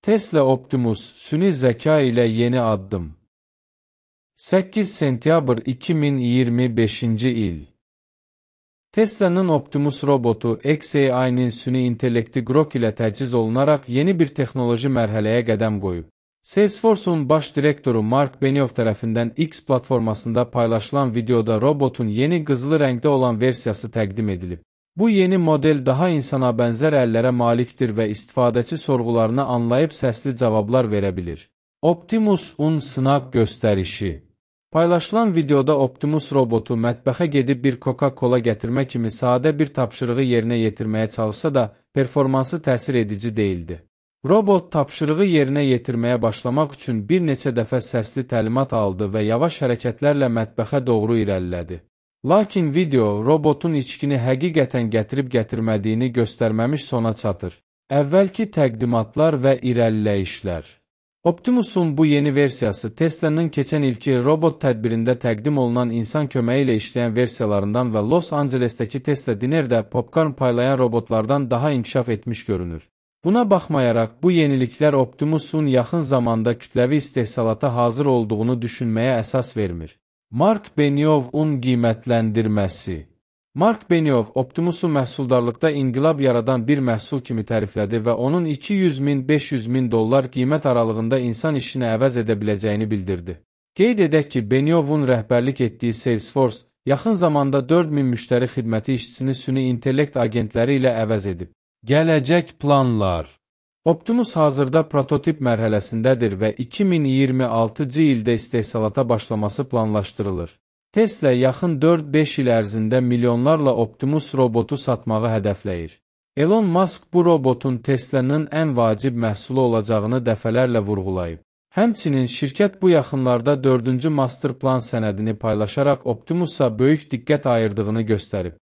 Tesla Optimus süni zəka ilə yeni addım. 8 sentyabr 2025-ci il. Tesla'nın Optimus robotu xAI-nin süni intellekti Grok ilə təchiz olunaraq yeni bir texnoloji mərhələyə qədəm qoyub. Salesforce'un baş direktoru Mark Benioff tərəfindən X platformasında paylaşılan videoda robotun yeni qızılı rəngdə olan versiyası təqdim edilib. Bu yeni model daha insana bənzər əllərə malikdir və istifadəçi sorğularını anlayıb səsli cavablar verə bilir. Optimus-un sınaq göstərişi. Paylaşılan videoda Optimus robotu mətbəxə gedib bir Coca-Cola gətirmə kimi sadə bir tapşırığı yerinə yetirməyə çalışsa da, performansı təsir edici deyildi. Robot tapşırığı yerinə yetirməyə başlamaq üçün bir neçə dəfə səsli təlimat aldı və yavaş hərəkətlərlə mətbəxə doğru irəlilədi. Lakin video robotun içkini həqiqətən gətirib-gətirmədiyini göstərməmiş sona çatır. Əvvəlki təqdimatlar və irəliləyişlər. Optimus'un bu yeni versiyası Tesla'nın keçən ilki robot tədbirində təqdim olunan insan köməyi ilə işləyən versiyalarından və Los Angeles'təki Tesla Diner'də popcorn paylayan robotlardan daha inkişaf etmiş görünür. Buna baxmayaraq, bu yeniliklər Optimus'un yaxın zamanda kütləvi istehsalata hazır olduğunu düşünməyə əsas vermir. Mark Benioff'un qiymətləndirməsi. Mark Benioff Optimus'u məhsuldarlıqda inqilab yaradan bir məhsul kimi təriflədi və onun 200.000-500 min dollar qiymət aralığında insan işini əvəz edə biləcəyini bildirdi. Qeyd edək ki, Benioff'un rəhbərlik etdiyi Salesforce yaxın zamanda 4000 müştəri xidməti işçisini süni intellekt agentləri ilə əvəz edib. Gələcək planlar. Optimus hazırda prototip mərhələsindədir və 2026-cı ildə istehsalata başlaması planlaşdırılır. Tesla yaxın 4-5 il ərzində milyonlarla Optimus robotu satmağı hədəfləyir. Elon Musk bu robotun Tesla'nın ən vacib məhsulu olacağını dəfələrlə vurğulayıb. Həmçinin şirkət bu yaxınlarda 4-cü master plan sənədini paylaşaraq Optimus'a böyük diqqət ayırdığını göstərib.